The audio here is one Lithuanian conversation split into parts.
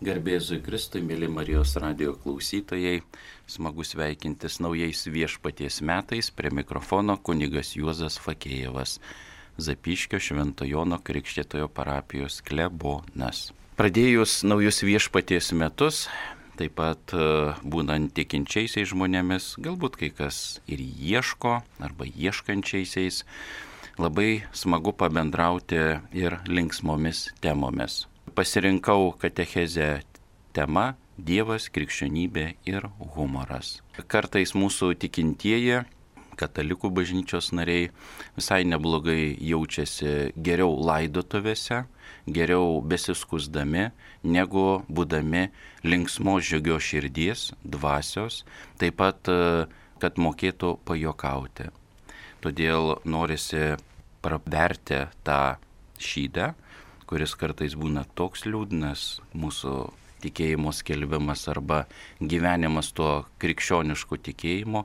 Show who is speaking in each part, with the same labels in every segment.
Speaker 1: Garbėzui Kristui, mėly Marijos radijo klausytojai, smagu sveikintis naujais viešpaties metais, prie mikrofono kunigas Juozas Fakėjevas, Zapyškio Švento Jono Krikštytojo parapijos klebonas. Pradėjus naujus viešpaties metus, taip pat būnant tikinčiaisiais žmonėmis, galbūt kai kas ir ieško arba ieškančiaisiais, labai smagu pabendrauti ir linksmomis temomis. Pasirinkau katechezę tema Dievas, krikščionybė ir humoras. Kartais mūsų tikintieji, katalikų bažnyčios nariai visai neblogai jaučiasi geriau laidotuvėse, geriau besiskusdami, negu būdami linksmos džiugios širdies, dvasios, taip pat, kad mokėtų pajokauti. Todėl norisi praverti tą šydą, kuris kartais būna toks liūdnas, mūsų tikėjimo skelbimas arba gyvenimas tuo krikščionišku tikėjimu,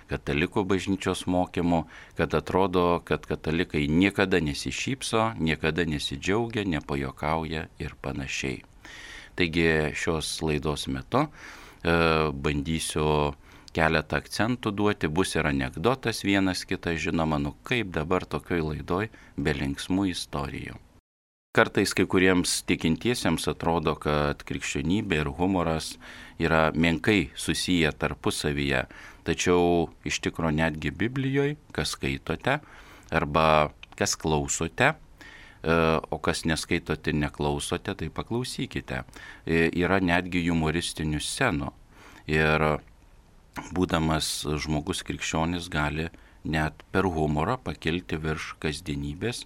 Speaker 1: katalikų bažnyčios mokymu, kad atrodo, kad katalikai niekada nesišypso, niekada nesidžiaugia, nepajokauja ir panašiai. Taigi šios laidos metu bandysiu keletą akcentų duoti, bus ir anekdotas vienas kitas, žinoma, kaip dabar tokioj laidoj be linksmų istorijų. Kartais kai kuriems tikintiesiems atrodo, kad krikščionybė ir humoras yra menkai susiję tarpusavyje, tačiau iš tikro netgi Biblijoje, kas skaitote arba kas klausote, o kas neskaitote, neklausote, tai paklausykite. Yra netgi humoristinių scenų ir būdamas žmogus krikščionis gali net per humorą pakilti virš kasdienybės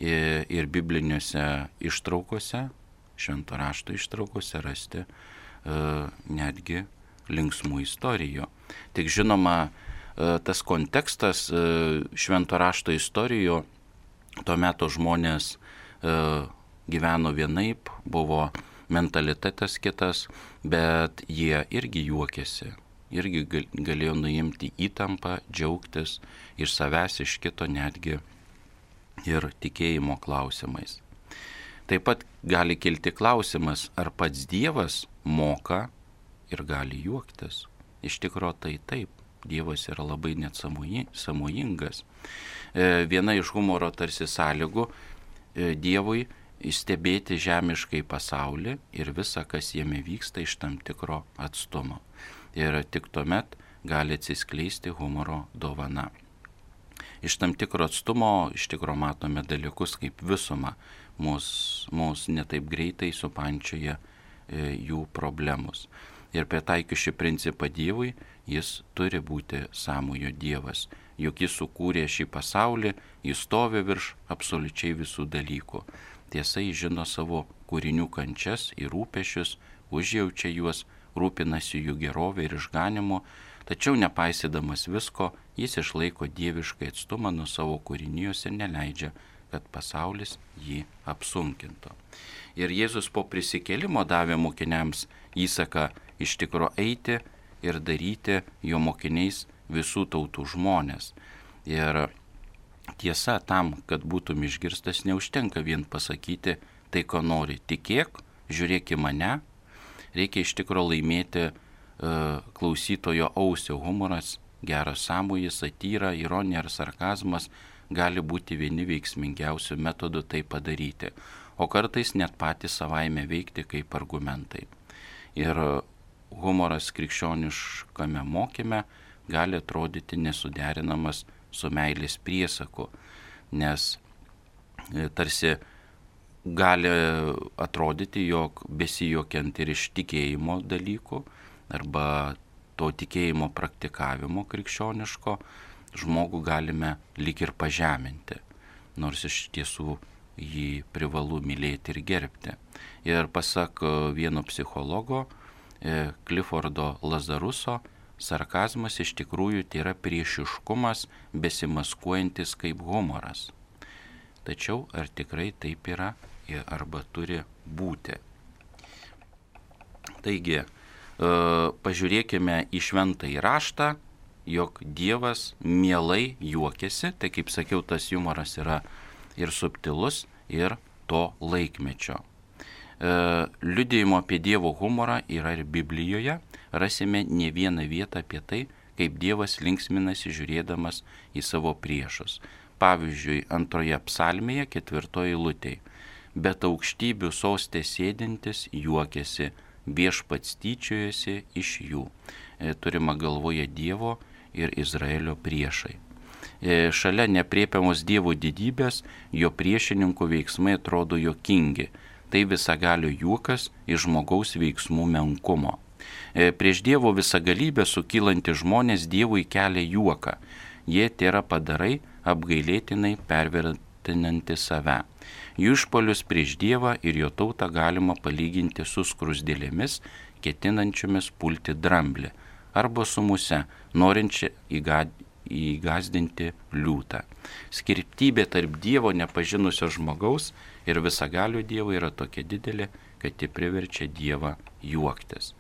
Speaker 1: ir bibliniuose ištraukose, švento rašto ištraukose rasti netgi linksmų istorijų. Tik žinoma, tas kontekstas švento rašto istorijų, tuo metu žmonės gyveno vienaip, buvo mentalitetas kitas, bet jie irgi juokėsi, irgi galėjo nuimti įtampą, džiaugtis iš savęs, iš kito netgi ir tikėjimo klausimais. Taip pat gali kilti klausimas, ar pats Dievas moka ir gali juoktis. Iš tikro tai taip, Dievas yra labai net sąmojingas. Viena iš humoro tarsi sąlygų Dievui stebėti žemiškai pasaulį ir visą, kas jame vyksta iš tam tikro atstumo. Ir tik tuomet gali atsiskleisti humoro dovana. Iš tam tikro atstumo, iš tikro matome dalykus kaip visumą, mus netaip greitai supančioja jų problemus. Ir pritaikius šį principą Dievui, jis turi būti sąmojo Dievas, juk jis sukūrė šį pasaulį, jis stovi virš absoliučiai visų dalykų. Tiesa, jis žino savo kūrinių kančias ir rūpesčius, užjaučia juos, rūpinasi jų gerovę ir išganimu, tačiau nepaisydamas visko, jis išlaiko dieviškai atstumą nuo savo kūrinijos ir neleidžia, kad pasaulis jį apsunkintų. Ir Jėzus po prisikėlimo davė mokiniams įsaką iš tikro eiti ir daryti jo mokiniais visų tautų žmonės. Ir tiesa, tam, kad būtum išgirstas, neužtenka vien pasakyti tai, ko nori. Tikėk, žiūrėk į mane, reikia iš tikro laimėti klausytojo ausio. Humoras, geras sąmojis, satyra, ironija ar sarkazmas gali būti vieni veiksmingiausių metodų tai padaryti, o kartais net patys savaime veikti kaip argumentai. Ir humoras krikščioniškame mokyme gali atrodyti nesuderinamas su meilės priesaku, nes tarsi gali atrodyti, jog besijuokiant ir iš tikėjimo dalykų arba to tikėjimo praktikavimo krikščioniško, žmogų galime lyg ir pažeminti, nors iš tiesų jį privalu mylėti ir gerbti. Ir pasak vieno psichologo, Cliffordo Lazaruso, sarkazmas iš tikrųjų tai yra priešiškumas besimaskuojantis kaip humoras. Tačiau ar tikrai taip yra arba turi būti? Taigi, pažiūrėkime į šventąjį raštą, jog Dievas mielai juokiasi, tai kaip sakiau, tas humoras yra ir subtilus, ir to laikmečio. Liudijimo apie Dievo humorą yra ir Biblijoje. Rasime ne vieną vietą apie tai, kaip Dievas linksminasi žiūrėdamas į savo priešus. Pavyzdžiui, 2 psalmėje 4 eilutėje. Bet aukštybių sostė sėdintis juokiasi, viešpats tyčiojasi iš jų. Turima galvoje Dievo ir Izraelio priešai. Šalia nepriepiamos Dievo didybės, jo priešininkų veiksmai atrodo juokingi. Tai visagalio juokas iš žmogaus veiksmų menkumo. Prieš Dievo visagalybę sukylanti žmonės Dievui kelia juoką. Jie tėra padarai apgailėtinai pervertinanti save. Jų išpolius prieš Dievą ir jo tautą galima palyginti su skruzdėlėmis, ketinančiomis pulti dramblį, arba su muse, norinčia įgazdinti liūtą. Skirtybė tarp Dievo nepažinusio žmogaus ir visagalio Dievo yra tokia didelė, kad ji priverčia Dievą juoktis.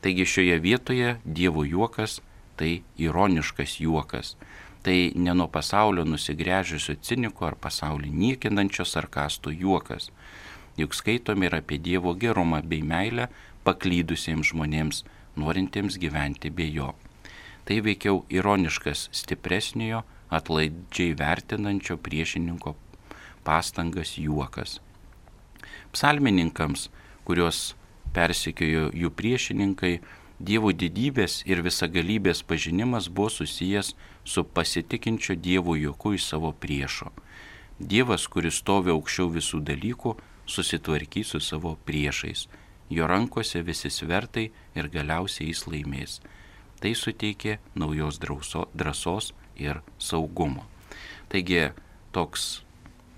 Speaker 1: Taigi šioje vietoje Dievo juokas tai ironiškas juokas. Tai ne nuo pasaulio nusigręžusio ciniko ar pasaulį niekinančio sarkastų juokas. Juk skaitome ir apie Dievo gerumą bei meilę paklydusiems žmonėms, norintiems gyventi be jo. Tai veikiau ironiškas stipresniojo, atlaidžiai vertinančio priešininko pastangas juokas. Psalmininkams, kuriuos persekiojo jų priešininkai, Dievo didybės ir visagalybės pažinimas buvo susijęs su pasitikinčio Dievo juoku iš savo priešo. Dievas, kuris stovi aukščiau visų dalykų, susitvarkys su savo priešais. Jo rankose visi svertai ir galiausiai jis laimės. Tai suteikė naujos drąsos ir saugumo. Taigi toks,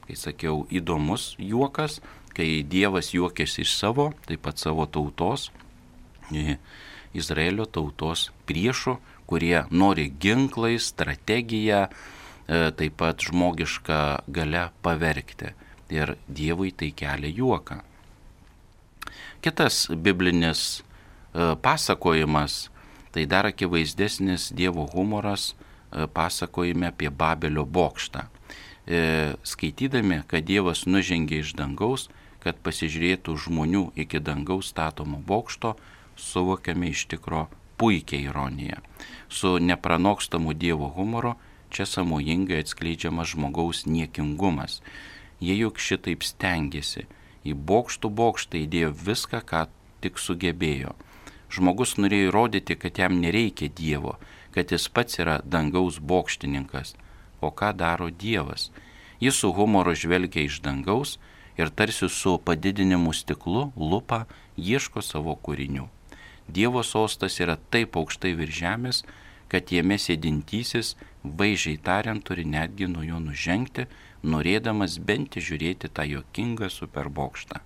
Speaker 1: kai sakiau, įdomus juokas, kai Dievas juokėsi iš savo, taip pat savo tautos, Izraelio tautos priešų, kurie nori ginklais, strategiją, taip pat žmogišką galią pavergti. Ir Dievui tai kelia juoką. Kitas biblinis pasakojimas, tai dar akivaizdesnis Dievo humoras pasakojime apie Babelio bokštą. Skaitydami, kad Dievas nužengė iš dangaus, kad pasižiūrėtų žmonių iki dangaus statomo bokšto, suvokiame iš tikro puikiai ironiją. Su nepranokstamu Dievo humoru čia sąmojingai atskleidžiamas žmogaus niekingumas. Jie juk šitaip stengiasi. Į bokštą įdėjo viską, ką tik sugebėjo. Žmogus norėjo įrodyti, kad jam nereikia Dievo, kad jis pats yra dangaus bokštininkas. O ką daro Dievas? Jis su humoru žvelgia iš dangaus ir tarsi su padidinimu stiklu lupa ieško savo kūrinių. Dievo sostas yra taip aukštai virš žemės, kad jame sėdintysis, vaizdžiai tariant, turi netgi nuo jo nužengti, norėdamas bent žiūrėti tą juokingą superbokštą.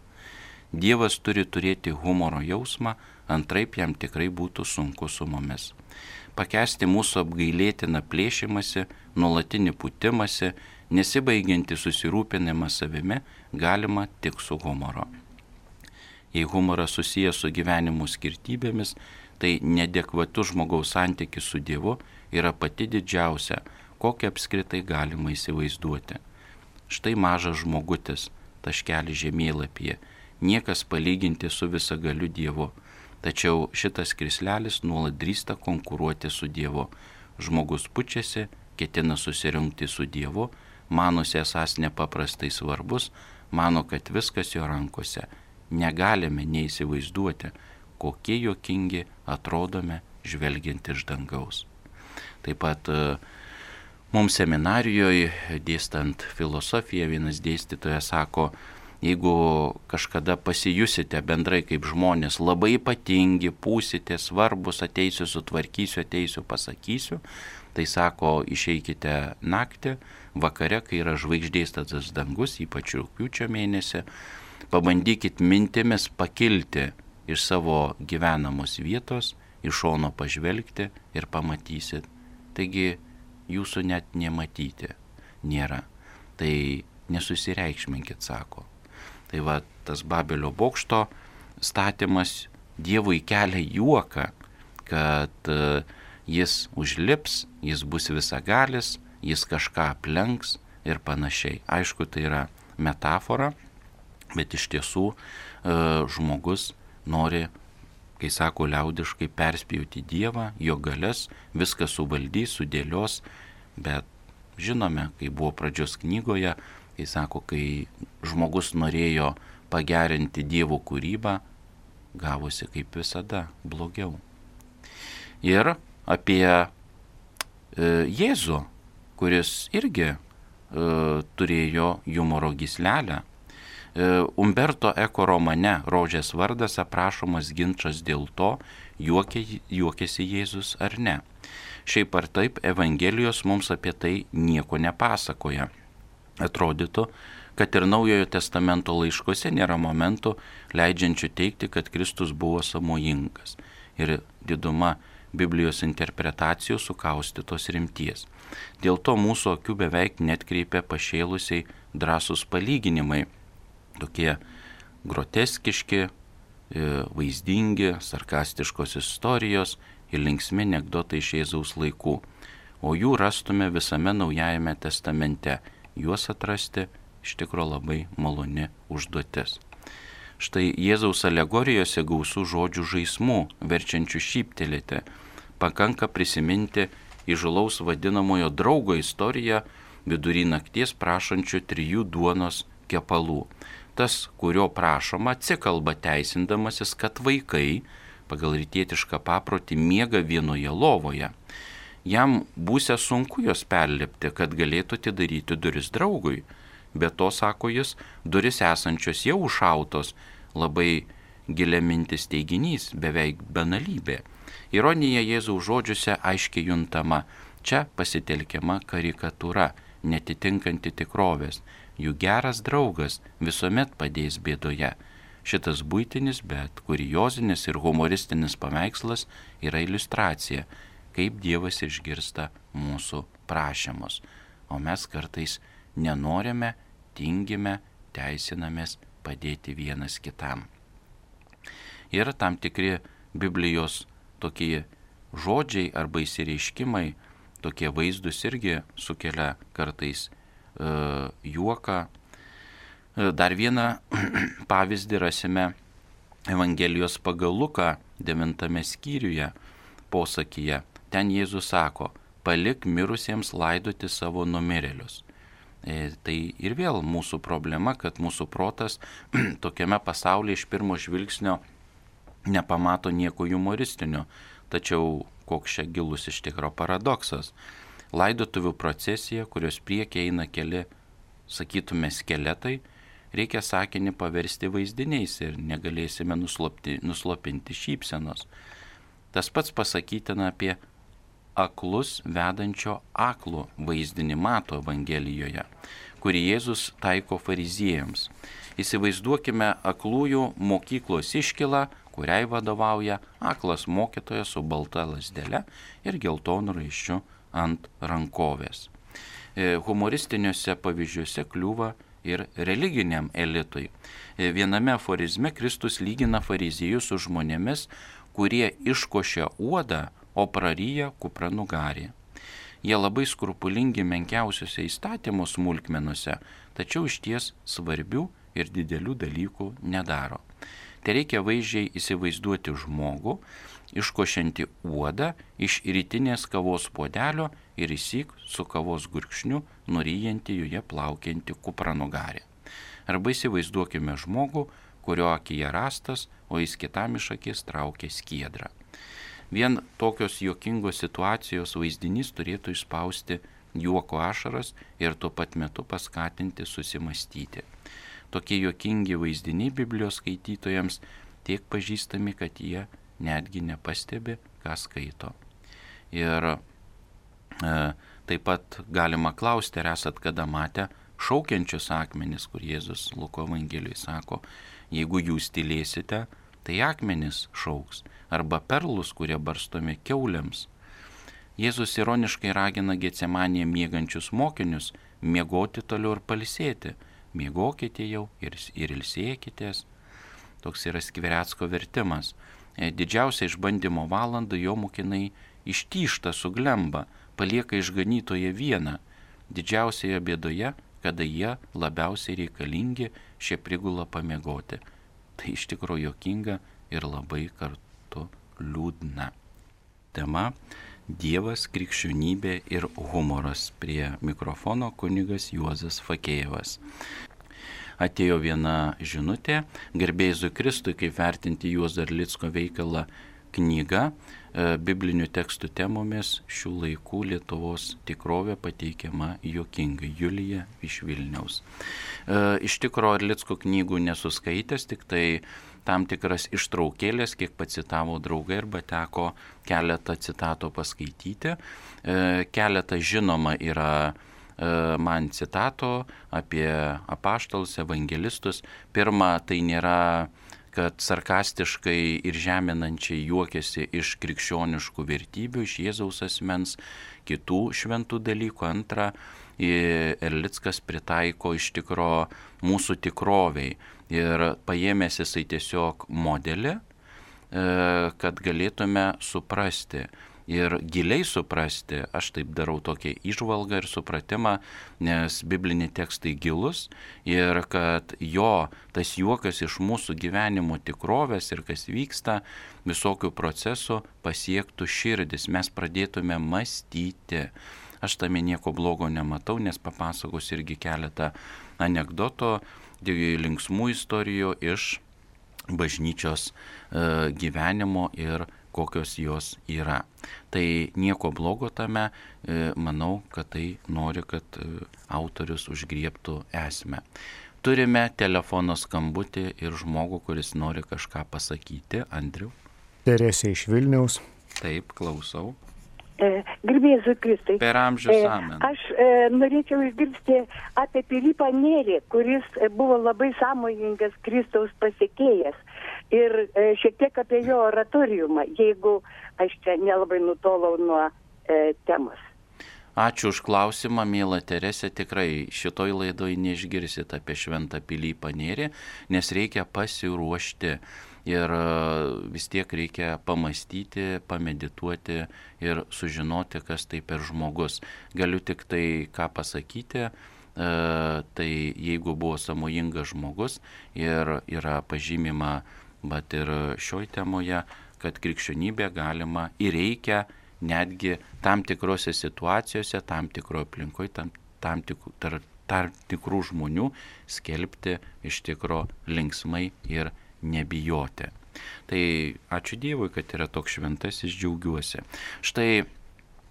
Speaker 1: Dievas turi turėti humoro jausmą, antraip jam tikrai būtų sunku su mumis. Pakęsti mūsų apgailėtiną plėšimąsi, nuolatinį pūtimąsi, nesibaigiantį susirūpinimą savimi galima tik su humoro. Jei humoras susijęs su gyvenimo skirtybėmis, tai neadekvatus žmogaus santykis su Dievu yra pati didžiausia, kokią apskritai galima įsivaizduoti. Štai mažas žmogutis, taškelis žemėlapyje, niekas palyginti su visagaliu Dievu, tačiau šitas krislelis nuolat drįsta konkuruoti su Dievu. Žmogus pučiasi, ketina susirungti su Dievu, manosi esąs nepaprastai svarbus, mano, kad viskas jo rankose. Negalime neįsivaizduoti, kokie juokingi atrodome žvelgiant iš dangaus. Taip pat mums seminarijoje, dėstant filosofiją, vienas dėstytojas sako, jeigu kažkada pasijusite bendrai kaip žmonės labai ypatingi, būsite svarbus, ateisiu, sutvarkysiu, ateisiu, pasakysiu, tai sako, išeikite naktį, vakare, kai yra žvaigždėtas dangus, ypač rugpjūčio mėnesį, pabandykit mintimis pakilti iš savo gyvenamos vietos, iš šono pažvelgti ir pamatysit. Taigi jūsų net nematyti nėra. Tai nesusireikšminkit, sako. Tai va, tas Babelio bokšto statymas Dievui kelia juoką, kad jis užlips, jis bus visagalis, jis kažką aplenks ir panašiai. Aišku, tai yra metafora. Bet iš tiesų žmogus nori, kai sako liaudiškai, perspjauti Dievą, jo galias, viską suvaldys, sudėlios, bet žinome, kai buvo pradžios knygoje, kai sako, kai žmogus norėjo pagerinti Dievo kūrybą, gavosi kaip visada blogiau. Ir apie Jėzų, kuris irgi turėjo humoro gyslelę. Umberto Eko romane Rožės vardas aprašomas ginčas dėl to, juokėsi Jėzus ar ne. Šiaip ar taip, Evangelijos mums apie tai nieko nepasakoja. Atrodytų, kad ir Naujojo testamento laiškuose nėra momentų leidžiančių teigti, kad Kristus buvo sąmojingas. Ir diduma Biblijos interpretacijų sukaustytos rimties. Dėl to mūsų akių beveik netkreipia pašėlusiai drąsūs palyginimai, tokie groteskiški, vaizdingi, sarkastiškos istorijos ir linksmi anekdotai iš Jėzaus laikų, o jų rastume visame Naujajame testamente. Juos atrasti iš tikro labai maloni užduotis. Štai Jėzaus alegorijose gausų žodžių žaismų, verčiančių šyptelėti. Pakanka prisiminti įžūlaus vadinamojo draugo istoriją vidury nakties prašančių 3 duonos kepalų. Tas, kurio prašoma, atsikalba teisindamasis, kad vaikai pagal rytietišką paprotį miega vienoje lovoje. Jam būsia sunku jos perlipti, kad galėtų atidaryti duris draugui. Be to, sako jis, duris esančios jau užšautos, labai gilia mintis teiginys, beveik banalybė. Ironija Jėzaus žodžiuose aiškiai juntama. Čia pasitelkiama karikatūra, netitinkanti tikrovės. Jų geras draugas visuomet padės bėdoje. Šitas buitinis, bet kuriozinis ir humoristinis paveikslas yra iliustracija, kaip Dievas išgirsta mūsų prašymus. O mes kartais nenorime, tingime, teisinamės padėti vienas kitam. Ir tam tikri Biblijos tokie žodžiai arba įsireiškimai, tokie vaizdus irgi sukelia kartais juoką. Dar vieną pavyzdį rasime Evangelijos pagal Luką 9 skyriuje posakyje. Ten Jėzus sako, palik mirusiems laidoti savo numirėlius. Tai ir vėl mūsų problema, kad mūsų protas tokiame pasaulyje iš pirmo žvilgsnio nepamato nieko humoristinio. Tačiau koks čia gilus iš tikro paradoksas. Laidotuvių procesija, kurios priekyje eina keli, sakytume, skeletai, reikia sakinį paversti vaizdiniais ir negalėsime nuslopinti šypsenos. Tas pats pasakytina apie aklus vedančio aklų vaizdinį Mato Evangelijoje, kurį Jėzus taiko fariziejams. Įsivaizduokime aklųjų mokyklos iškilą, kuriai vadovauja aklas mokytojas su balta lazdele ir geltonu raiščiu ant rankovės. Humoristiniuose pavyzdžiuose kliūva ir religiniam elitui. Viename aforizme Kristus lygina fariziejus su žmonėmis, kurie iškošia uodą, o praryja kupranugarį. Jie labai skrupulingi menkiausiuose įstatymų smulkmenuose, tačiau išties svarbių ir didelių dalykų nedaro. Tai reikia vaizdžiai įsivaizduoti žmogų, iškošianti uodą iš rytinės kavos puodelio ir įsyk su kavos gurkšniu nuryjanti joje plaukianti kupranugarį. Arba įsivaizduokime žmogų, kurio akyje rastas, o jis kitam iš akies traukia skiedrą. Vien tokios juokingos situacijos vaizdinys turėtų išspausti juoko ašaras ir tuo pat metu paskatinti susimastyti. Tokie juokingi vaizdiniai Biblijos skaitytojams tiek pažįstami, kad jie netgi nepastebi, ką skaito. Ir taip pat galima klausti, ar esat kada matę šaukiančius akmenis, kur Jėzus Luko Evangelijoje sako, jeigu jūs tylėsite, tai akmenis šauks, arba perlus, kurie barstomi kiauliams. Jėzus ironiškai ragina Getsemanėje miegančius mokinius miegoti toliau ir pailsėti. Miegokite jau ir ilsėkitės. Toks yra Skvirecko vertimas. Didžiausia išbandymo valanda jo mokiniai ištyžta suglemba, palieka išganytoje vieną. Didžiausioje bėdoje, kada jie labiausiai reikalingi, šie prigula pamiegoti. Tai iš tikrųjų juokinga ir labai kartu liūdna. Tema – Dievas, krikščionybė ir humoras. Prie mikrofono kunigas Juozas Fakėjevas. Atėjo viena žinutė, garbė Jėzui Kristui, kaip vertinti Juozo Erlicko veikalą knyga biblinių tekstų temomis šių laikų Lietuvos tikrovė pateikiama juokingai. Julija iš Vilniaus. Iš tikro Erlicko knygų nesuskaitęs, tik tai tam tikras ištraukėlės, kiek pacitavo draugai, arba teko keletą citato paskaityti. Keletą žinoma yra man citato apie apaštalus, evangelistus. Pirma, tai nėra, kad sarkastiškai ir žeminančiai juokiasi iš krikščioniškų vertybių, iš Jėzaus asmens, kitų šventų dalykų. Antra, Erlickas pritaiko iš tikro mūsų tikroviai ir paėmęs jisai tiesiog modelį, kad galėtume suprasti ir giliai suprasti. Aš taip darau tokią įžvalgą ir supratimą, nes bibliniai tekstai gilus ir kad jo tas juokas iš mūsų gyvenimo tikrovės ir kas vyksta, visokių procesų pasiektų širdis, mes pradėtume mąstyti. Aš tame nieko blogo nematau, nes papasakosiu irgi keletą anekdotų, linksmų istorijų iš bažnyčios gyvenimo ir kokios jos yra. Tai nieko blogo tame, manau, kad tai nori, kad autorius užgriebtų esmę. Turime telefono skambutį ir žmogų, kuris nori kažką pasakyti. Andriu.
Speaker 2: Teresė iš Vilniaus.
Speaker 1: Taip, klausau.
Speaker 3: Garbė Jėzui Kristui.
Speaker 1: Per amžius amen.
Speaker 3: Aš norėčiau išgirsti apie Pilypą Nėrį, kuris buvo labai sąmojingas Kristaus pasekėjas. Ir šiek tiek apie jo oratoriumą, jeigu aš čia nelabai nutolau nuo temos.
Speaker 1: Ačiū už klausimą, miela Teresė. Tikrai šitoj laidoj neišgirsit apie šventą Pilypą Nėrį, nes reikia pasiruošti. Ir vis tiek reikia pamastyti, pamedituoti ir sužinoti, kas tai per žmogus. Galiu tik tai ką pasakyti, tai jeigu buvo sąmojingas žmogus ir yra pažymima, bet ir šioj temoje, kad krikščionybė galima ir reikia netgi tam tikrose situacijose, tam tikroje aplinkoje, tam tikrų žmonių skelbti iš tikro linksmai ir nebijoti. Tai ačiū Dievui, kad yra toks šventasis, džiaugiuosi. Štai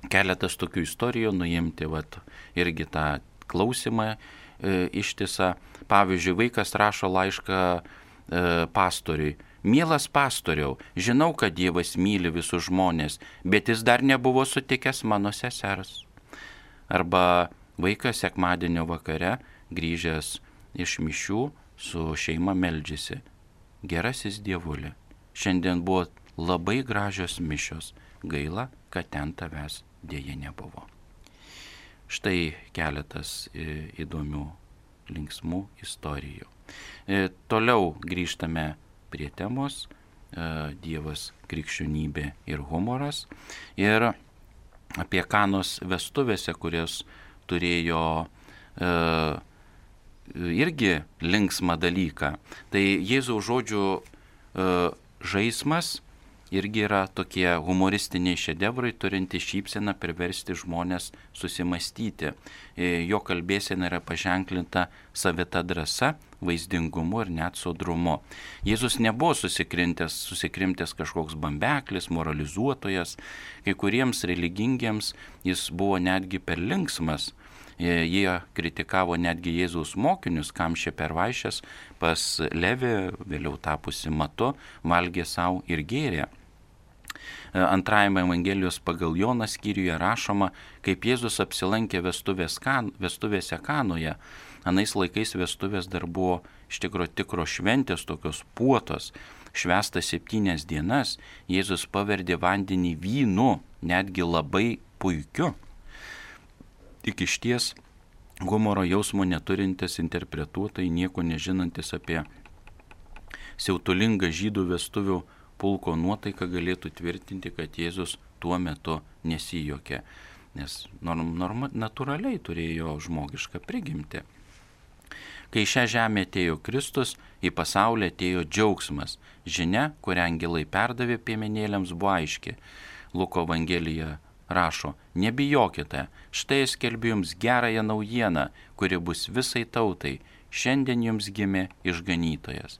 Speaker 1: keletas tokių istorijų, nuimti irgi tą klausimą ištisą. Pavyzdžiui, vaikas rašo laišką pastoriui. Mielas pastoriau, žinau, kad Dievas myli visus žmonės, bet jis dar nebuvo sutikęs mano sesers. Arba vaikas sekmadienio vakare grįžęs iš mišių su šeima meldžiasi. Gerasis Dievuli, šiandien buvo labai gražios mišios, gaila, kad ten tavęs dėja nebuvo. Štai keletas įdomių, linksmų istorijų. Toliau grįžtame prie temos Dievas, krikščionybė ir humoras. Ir apie Kanos vestuvėse, kurios turėjo irgi linksmą dalyką. Tai Jėzaus žodžių žaismas irgi yra tokie humoristiniai šedevrai, turinti šypseną priversti žmonės susimastyti. Jo kalbėsena yra paženklinta savita drąsa, vaizdingumu ir net sodrumu. Jėzus nebuvo susikrimtęs kažkoks bambeklis, moralizuotojas. Kai kuriems religingiems jis buvo netgi per linksmas. Jie kritikavo netgi Jėzaus mokinius, kam šie pervaišęs pas Levį, vėliau tapusi Matu, valgė savo ir gėrė. Antrajame Evangelijos pagal Joną skyriuje rašoma, kaip Jėzus apsilankė vestuvėse Kanoje. Anais laikais vestuvės dar buvo iš tikro šventės, tokios puotos. Švęsta 7 dienas, Jėzus paverdė vandenį vynu, netgi labai puikiu. Tik išties humoro jausmo neturintis interpretuotojai, nieko nežinantis apie siautulingą žydų vestuvių pulko nuotaiką galėtų tvirtinti, kad Jėzus tuo metu nesijuokė, nes natūraliai turėjo žmogišką prigimtį. Kai šią žemę atėjo Kristus, į pasaulį atėjo džiaugsmas. Žinia, kurią angelai perdavė piemenėliams, buvo aiški. Luko Evangelija rašo, nebijokite, štai skelbiu jums gerąją naujieną, kuri bus visai tautai. Šiandien jums gimė išganytojas.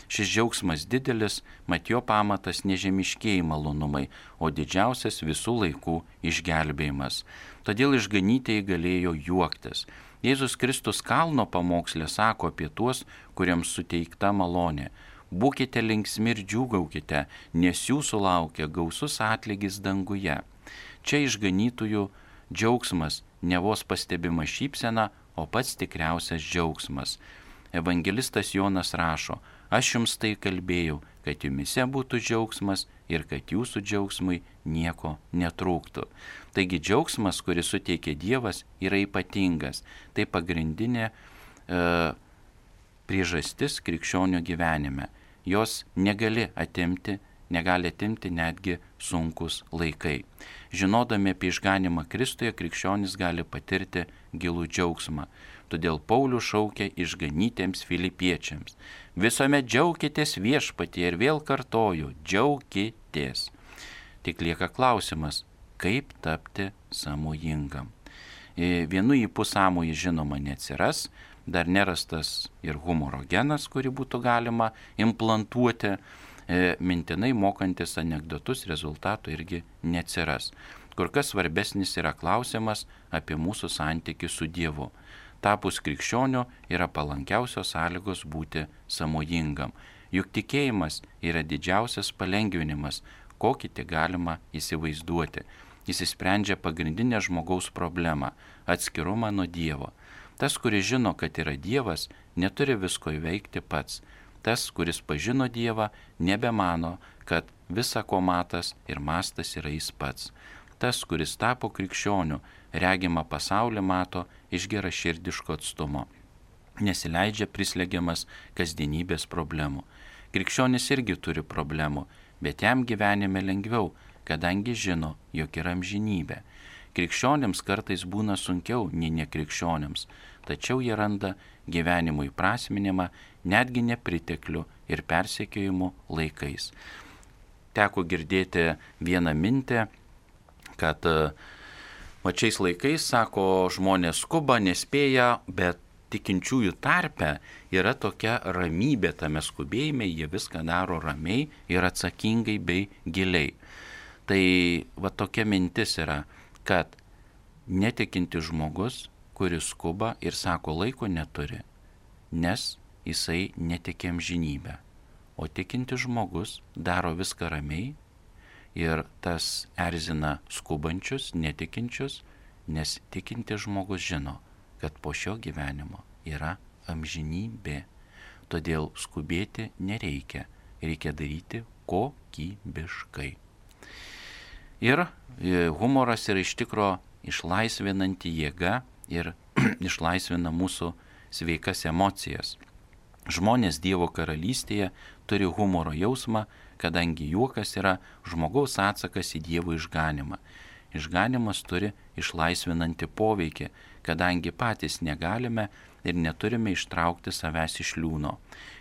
Speaker 1: Šis džiaugsmas didelis, mat jo pamatas nežemiškieji malonumai, o didžiausias visų laikų išgelbėjimas. Todėl išganytieji galėjo juoktis. Jėzus Kristus kalno pamokslė sako apie tuos, kuriems suteikta malonė. Būkite linksmi ir džiūgaukite, nes jūsų laukia gausus atlygis danguje. Čia išganytųjų džiaugsmas, ne vos pastebima šypsena, o pats tikriausias džiaugsmas. Evangelistas Jonas rašo, aš jums tai kalbėjau, kad jumise būtų džiaugsmas ir kad jūsų džiaugsmui nieko netrūktų. Taigi džiaugsmas, kurį suteikia Dievas, yra ypatingas. Tai pagrindinė priežastis krikščionių gyvenime. Jos negali atimti netgi sunkus laikai. Žinodami apie išganimą Kristuje, krikščionis gali patirti gilų džiaugsmą. Todėl Paulius šaukia išganytiems filipiečiams. Visuomet džiaukitės viešpatyje ir vėl kartoju, džiaukitės. Tik lieka klausimas, kaip tapti sąmojingam. Vienu ypu sąmojį žinoma neatsiras, dar nerastas ir humoro genas, kurį būtų galima implantuoti. Mintinai mokantis anekdotus rezultatų irgi neatsiras. Kur kas svarbesnis yra klausimas apie mūsų santykį su Dievu. Tapus krikščioniu yra palankiausios sąlygos būti sąmojingam. Juk tikėjimas yra didžiausias palengvinimas, kokį tik galima įsivaizduoti. Jis išsprendžia pagrindinę žmogaus problemą – atskirumą nuo Dievo. Tas, kuris žino, kad yra Dievas, neturi visko įveikti pats. Tas, kuris pažino Dievą, nebemano, kad visa ko matas ir mastas yra jis pats. Tas, kuris tapo krikščioniu, regimą pasaulį mato iš geraširdiško atstumo. Nesileidžia prislegiamas kasdienybės problemų. Krikščionis irgi turi problemų, bet jam gyvenime lengviau, kadangi žino, jog yra amžinybė. Krikščionims kartais būna sunkiau nei nekrikščionims, tačiau jie randa gyvenimo įprasminimą netgi nepriteklių ir persekiojimų laikais. Teko girdėti vieną mintį, kad šiais laikais, sako, žmonės skuba, nespėja, bet tikinčiųjų tarpe yra tokia ramybė tame skubėjime, jie viską daro ramiai ir atsakingai bei giliai. Tai tokia mintis yra, kad netikinti žmogus, kuris skuba ir sako laiko neturi, nes jisai netiki amžinybę. O tikinti žmogus daro viską ramiai ir tas erzina skubančius, netikinčius, nes tikinti žmogus žino, kad po šio gyvenimo yra amžinybė. Todėl skubėti nereikia, reikia daryti kokybiškai. Ir humoras yra iš tikro išlaisvinanti jėga ir išlaisvina mūsų sveikas emocijas. Žmonės Dievo karalystėje turi humoro jausmą, kadangi juokas yra žmogaus atsakas į Dievo išganimą. Išganimas turi išlaisvinantį poveikį, kadangi patys negalime ir neturime ištraukti savęs iš liūno.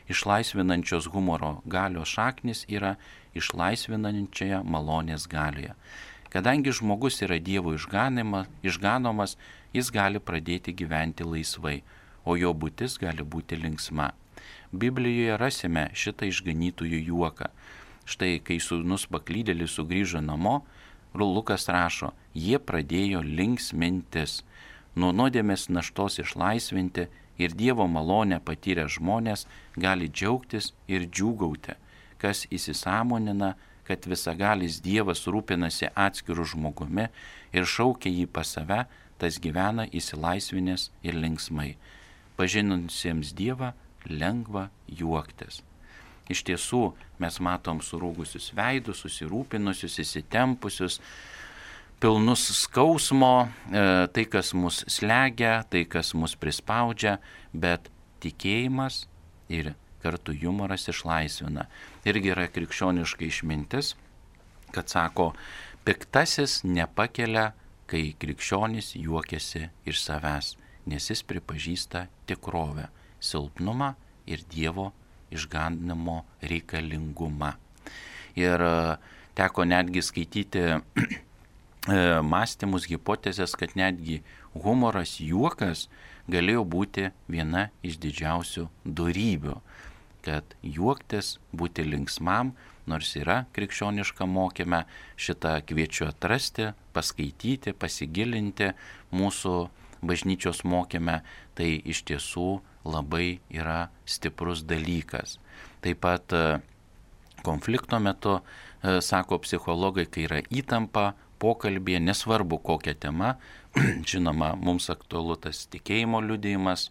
Speaker 1: Išlaisvinančios humoro galios šaknis yra išlaisvinančioje malonės galioje. Kadangi žmogus yra Dievo išganomas, jis gali pradėti gyventi laisvai, o jo būtis gali būti linksma. Biblijoje rasime šitą išganytųjų juoką. Štai, kai sūnus paklydėlis sugrįžo namo, Lukas rašo, jie pradėjo linksmintis. Nuo nuodėmės naštos išlaisvinti ir Dievo malonę patyrę žmonės gali džiaugtis ir džiūgauti, kas įsisąmonina, kad visagalis Dievas rūpinasi atskiru žmogumi ir šaukia jį pas save, tas gyvena įsilaisvinęs ir linksmai. Pažinusiems Dievą lengva juoktis. Iš tiesų, mes matom surūgusius veidus, susirūpinusius, įsitempusius, pilnus skausmo, tai, kas mus slegia, tai, kas mus prispaudžia, bet tikėjimas ir kartu humoras išlaisvina. Irgi yra krikščioniška išmintis, kad sako, piktasis nepakelia, kai krikščionis juokiasi iš savęs, nes jis pripažįsta tikrovę. silpnumą ir Dievo išganimo reikalingumą. Ir teko netgi skaityti mąstymus, hipotezės, kad netgi humoras, juokas galėjo būti viena iš didžiausių dorybių, kad juoktis, būti linksmam, nors yra krikščioniška mokyme, šitą kviečiu atrasti, paskaityti, pasigilinti mūsų bažnyčios mokyme, tai iš tiesų labai yra stiprus dalykas. Taip pat konflikto metu, sako psichologai, kai yra įtampa pokalbėje, nesvarbu kokia tema, žinoma, mums aktualu tas tikėjimo liudijimas,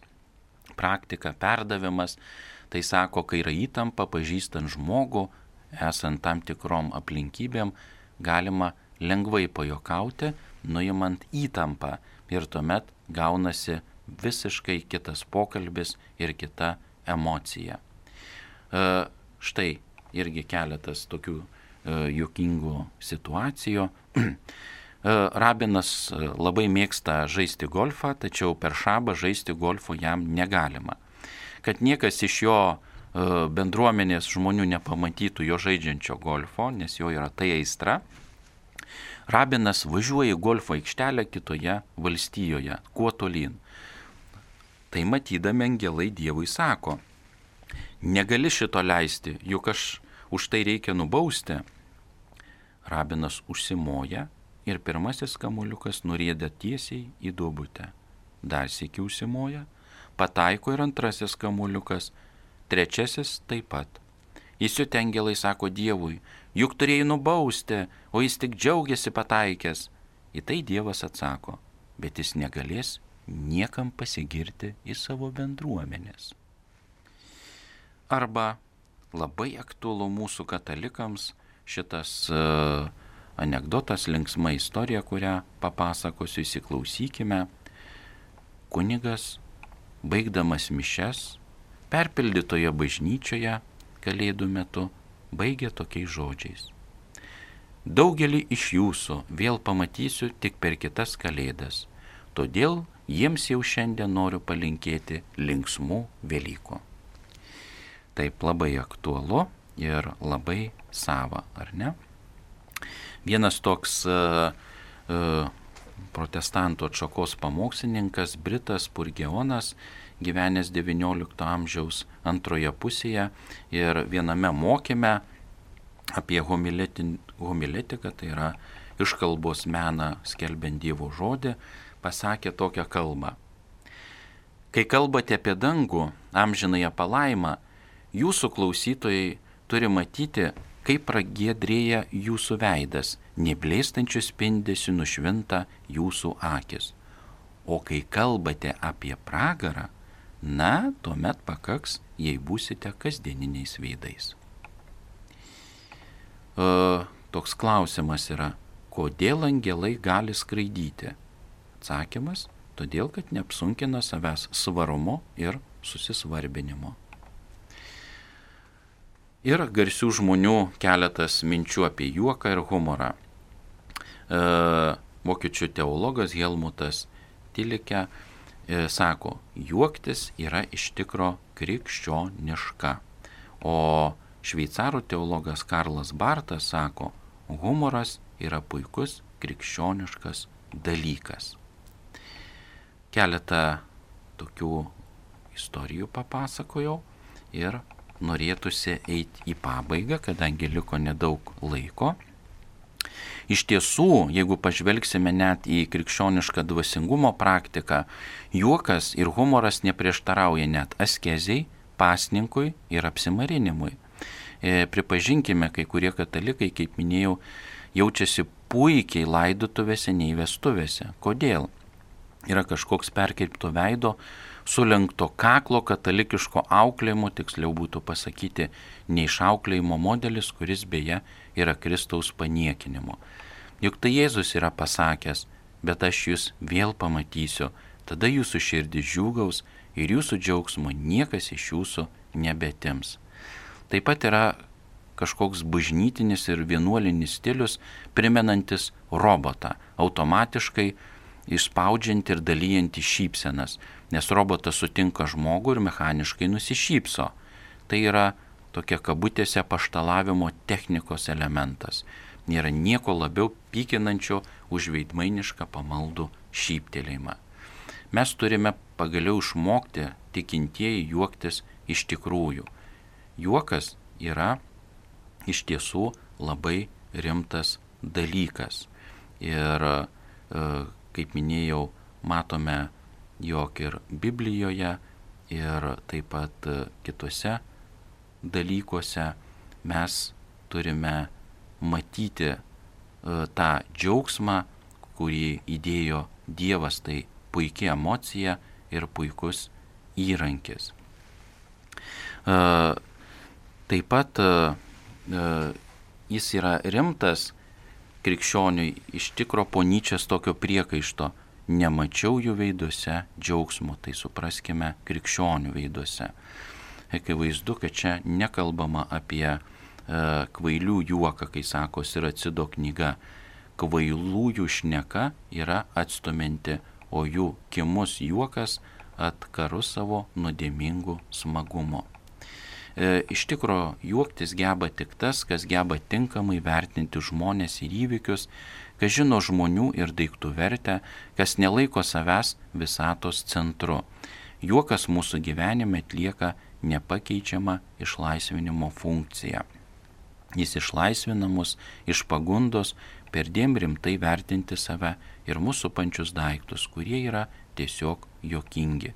Speaker 1: praktika, perdavimas, tai sako, kai yra įtampa, pažįstant žmogų, esant tam tikrom aplinkybėm, galima lengvai pajokauti, nuimant įtampą ir tuomet gaunasi visiškai kitas pokalbis ir kita emocija. Štai irgi keletas tokių juokingų situacijų. Rabinas labai mėgsta žaisti golfą, tačiau per šabą žaisti golfo jam negalima. Kad niekas iš jo bendruomenės žmonių nepamatytų jo žaidžiančio golfo, nes jo yra tai aistra, Rabinas važiuoja į golfo aikštelę kitoje valstijoje, kuo tolyn. Tai matydami angelai Dievui sako, negali šito leisti, juk aš už tai reikia nubausti. Rabinas užsimoja ir pirmasis kamuoliukas nurieda tiesiai į duobutę. Dar sykį užsimoja, pataiko ir antrasis kamuoliukas, trečiasis taip pat. Įsiutę angelai sako Dievui, juk turėjai nubausti, o jis tik džiaugiasi pataikęs. Į tai Dievas atsako, bet jis negalės niekam pasigirti į savo bendruomenės. Arba labai aktualu mūsų katalikams šitas anekdotas, linksma istorija, kurią papasakosiu, įsiklausykime. Kunigas, baigdamas mišias, perpildytoje bažnyčioje Kalėdų metu, baigė tokiais žodžiais. Daugelį iš jūsų vėl pamatysiu tik per kitas Kalėdas, todėl jiems jau šiandien noriu palinkėti linksmų Velykų. Taip labai aktualu ir labai sava, ar ne? Vienas toks protestantų atšakos pamokslininkas, britas Spurgeonas, gyvenęs XIX amžiaus antroje pusėje ir viename mokyme apie homiletiką, tai yra iškalbos meną skelbiant Dievo žodį, pasakė tokią kalbą. Kai kalbate apie dangų, amžinąją palaimą, jūsų klausytojai turi matyti, kaip pragiedrėja jūsų veidas, neblėstančių spindesių nušvinta jūsų akis. O kai kalbate apie pragarą, na, tuomet pakaks, jei būsite kasdieniniais veidais. Toks klausimas yra, kodėl angelai gali skraidyti? Atsakymas, todėl, kad neapsunkina savęs svarumo ir susisvarbinimo. Ir garsių žmonių keletas minčių apie juoką ir humorą. Vokiečių teologas Helmutas Tilike sako, juoktis yra iš tikro krikščioniška. O šveicarų teologas Karlas Bartas sako, humoras yra puikus krikščioniškas dalykas. Keletą tokių istorijų papasakojau ir norėtųsi eiti į pabaigą, kadangi liko nedaug laiko. Iš tiesų, jeigu pažvelgsime net į krikščionišką dvasingumo praktiką, juokas ir humoras neprieštarauja net askezei, pasninkui ir apsimarinimui. Pripažinkime, kai kurie katalikai, kaip minėjau, jaučiasi puikiai laidotuvėse nei vestuvėse. Kodėl? Yra kažkoks perkirpto veido, sulenkto kaklo katalikiško auklėjimo, tiksliau būtų pasakyti, neišauklėjimo modelis, kuris beje yra Kristaus paniekinimo. Juk tai Jėzus yra pasakęs, bet aš jūs vėl pamatysiu, tada jūsų širdis džiūgaus ir jūsų džiaugsmo niekas iš jūsų nebetims. Taip pat yra kažkoks bažnytinis ir vienuolinis stilius, primenantis robotą, automatiškai išspaudžianti ir dalyjanti šypsenas, nes robotas sutinka žmogų ir mechaniškai nusišypso. Tai yra tokia kabutėse paštalavimo technikos elementas. Nėra nieko labiau pykinančio už veidmainišką pamaldų šyptelėjimą. Mes turime pagaliau išmokti tikintieji juoktis iš tikrųjų. Juokas yra iš tiesų labai rimtas dalykas. Ir kaip minėjau, matome, jog ir Biblijoje, ir taip pat kituose dalykuose mes turime matyti tą džiaugsmą, kurį įdėjo Dievas, tai puikia emocija ir puikus įrankis. Taip pat jis yra rimtas krikščioniui iš tikro po Nyčės tokio priekaišto. Nemačiau jų veiduose džiaugsmo, tai supraskime krikščionių veiduose. Akivaizdu, kad čia nekalbama apie kvailių juoką, kai sako Siracido knyga. Kvailųjų šneka yra atstuminti, o jų kimus juokas atkaru savo nuodėmingų smagumo. Iš tikro juoktis geba tik tas, kas geba tinkamai vertinti žmonės ir įvykius, kas žino žmonių ir daiktų vertę, kas nelaiko savęs visatos centru. Juokas mūsų gyvenime atlieka nepakeičiamą išlaisvinimo funkciją. Jis išlaisvina mus iš pagundos perdėm rimtai vertinti save ir mūsų pančius daiktus, kurie yra tiesiog juokingi.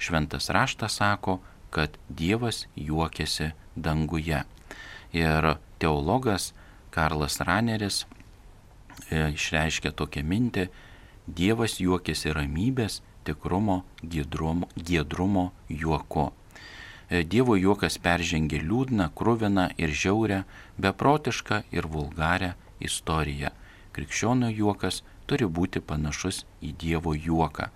Speaker 1: Šventas raštas sako, kad Dievas juokiasi danguje. Ir teologas Karlas Raneris išreiškia tokią mintį: Dievas juokiasi ramybės, tikrumo, giedrumo juoku. Dievo juokas peržengia liūdną, kruviną ir žiaurę, beprotišką ir vulgarią istoriją. Krikščionio juokas turi būti panašus į Dievo juoką.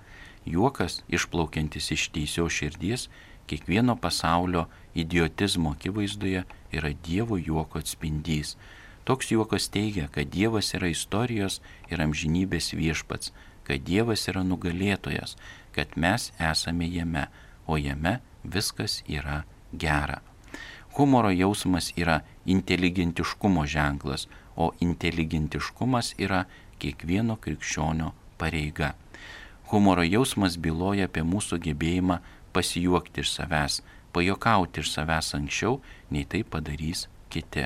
Speaker 1: Juokas, išplaukiantis iš teisios širdies, kiekvieno pasaulio idiotizmo akivaizdoje yra Dievo juoko atspindys. Toks juokas teigia, kad Dievas yra istorijos ir amžinybės viešpats, kad Dievas yra nugalėtojas, kad mes esame jame, o jame viskas yra gera. Humoro jausmas yra inteligentiškumo ženklas, o inteligentiškumas yra kiekvieno krikščionio pareiga. Humoro jausmas byloja apie mūsų gebėjimą pasijuokti iš savęs, pajuokauti iš savęs anksčiau, nei tai padarys kiti.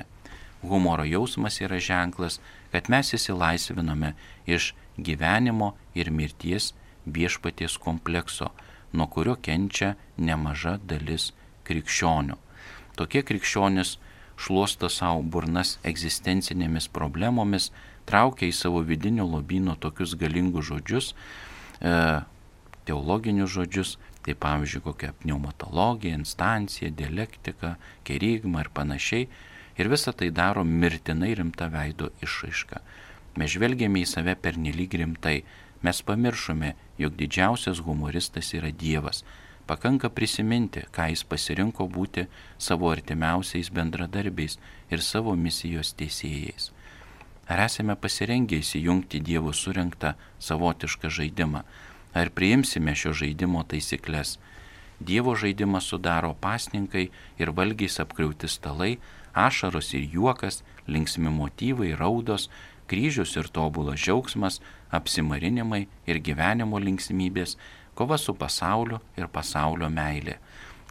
Speaker 1: Humoro jausmas yra ženklas, kad mes išsilaisviname iš gyvenimo ir mirties viešpaties komplekso, nuo kurio kenčia nemaža dalis krikščionių. Tokie krikščionys šluosto savo burnas egzistencinėmis problemomis, traukia į savo vidinio lobyno tokius galingus žodžius, teologinius žodžius, tai pavyzdžiui kokia pneumatologija, instancija, dialektika, kerigma ir panašiai, ir visą tai daro mirtinai rimta veido išraiška. Mes žvelgiame į save pernelyg rimtai, mes pamiršome, jog didžiausias humoristas yra Dievas. Pakanka prisiminti, ką jis pasirinko būti savo artimiausiais bendradarbiais ir savo misijos teisėjais. Ar esame pasirengę įsijungti Dievo surinktą savotišką žaidimą? Ar priimsime šio žaidimo taisyklės? Dievo žaidimą sudaro pasninkai ir valgiais apkrauti stalai, ašaros ir juokas, linksmi motyvai, raudos, kryžius ir tobulas džiaugsmas, apsimarinimai ir gyvenimo linksmybės, kova su pasauliu ir pasaulio meilė.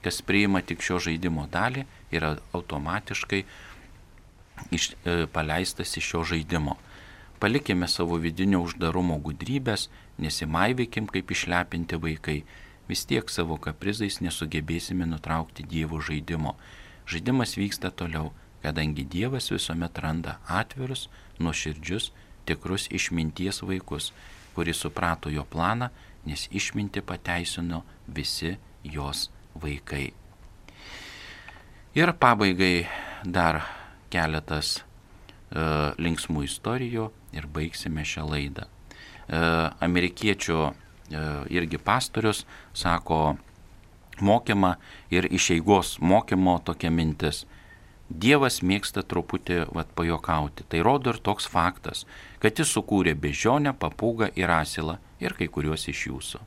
Speaker 1: Kas priima tik šio žaidimo dalį, yra automatiškai paleistas iš šio žaidimo. Palikime savo vidinio uždarumo gudrybės, nesimaivykim kaip išlepinti vaikai. Vis tiek savo kaprizais nesugebėsime nutraukti Dievo žaidimo. Žaidimas vyksta toliau, kadangi Dievas visuomet randa atvirus, nuoširdžius, tikrus išminties vaikus, kuris suprato jo planą, nes išmintį pateisino visi jos vaikai. Ir pabaigai dar keletas linksmų istorijų ir baigsime šią laidą. Amerikiečių irgi pastorius sako mokymą ir iš eigos mokymo tokia mintis: Dievas mėgsta truputį pajuokauti. Tai rodo ir toks faktas, kad jis sukūrė beždžionę, papūgą ir asilą ir kai kuriuos iš jūsų.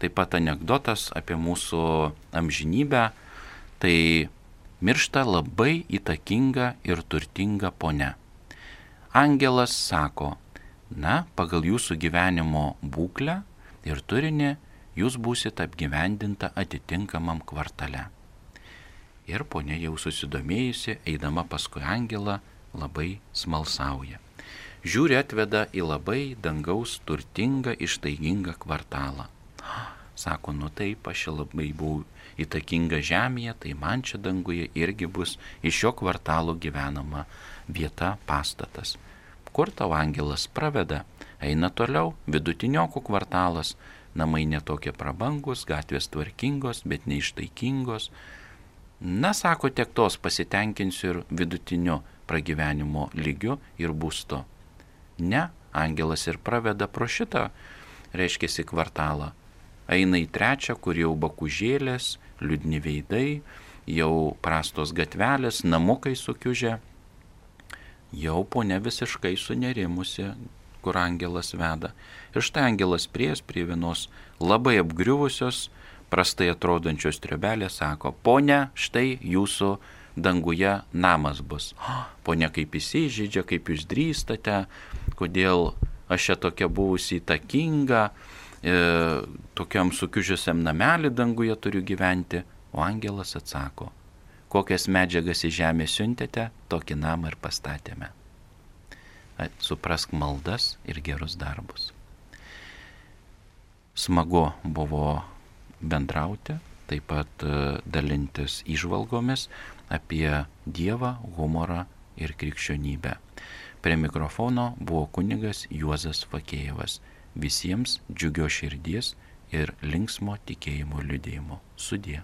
Speaker 1: Taip pat anekdotas apie mūsų amžinybę, tai miršta labai įtakinga ir turtinga ponia. Angelas sako, na, pagal jūsų gyvenimo būklę ir turinį jūs būsit apgyvendinta atitinkamam kvartale. Ir ponia jau susidomėjusi, eidama paskui angelą, labai smalsauja. Žiūri, atveda į labai dangaus turtingą, ištaigingą kvartalą. Sako, nu taip, aš labai buvau įtakinga žemėje, tai man čia danguje irgi bus iš šio kvartalo gyvenama vieta, pastatas. Kur tau angelas praveda? Eina toliau, vidutiniokų kvartalas, namai netokie prabangus, gatvės tvarkingos, bet neištaikingos. Na, sako, tiek tos pasitenkinsiu ir vidutiniu pragyvenimo lygiu ir būstu. Ne, angelas ir praveda pro šitą, reiškiasi, kvartalą. Eina į trečią, kur jau bakužėlės, liūdni veidai, jau prastos gatvelės, namukai sukiužę. Jau ponia visiškai sunerimusi, kur angelas veda. Ir štai angelas prie vienos labai apgriuvusios, prastai atrodančios triobelės, sako, ponia, štai jūsų danguje namas bus. Ponia kaip įsižydžia, kaip jūs drįstate, kodėl aš čia tokia buvusi įtakinga, tokiam sukiužusiam namelį danguje turiu gyventi. O angelas atsako, kokias medžiagas į žemę siuntėte, tokį namą ir pastatėme. Suprask maldas ir gerus darbus. Smagu buvo bendrauti, taip pat dalintis įžvalgomis apie Dievą, humorą ir krikščionybę. Prie mikrofono buvo kunigas Juozas Fakėjevas. Visiems džiugios širdies ir linksmo tikėjimo liudijimo. Sudie.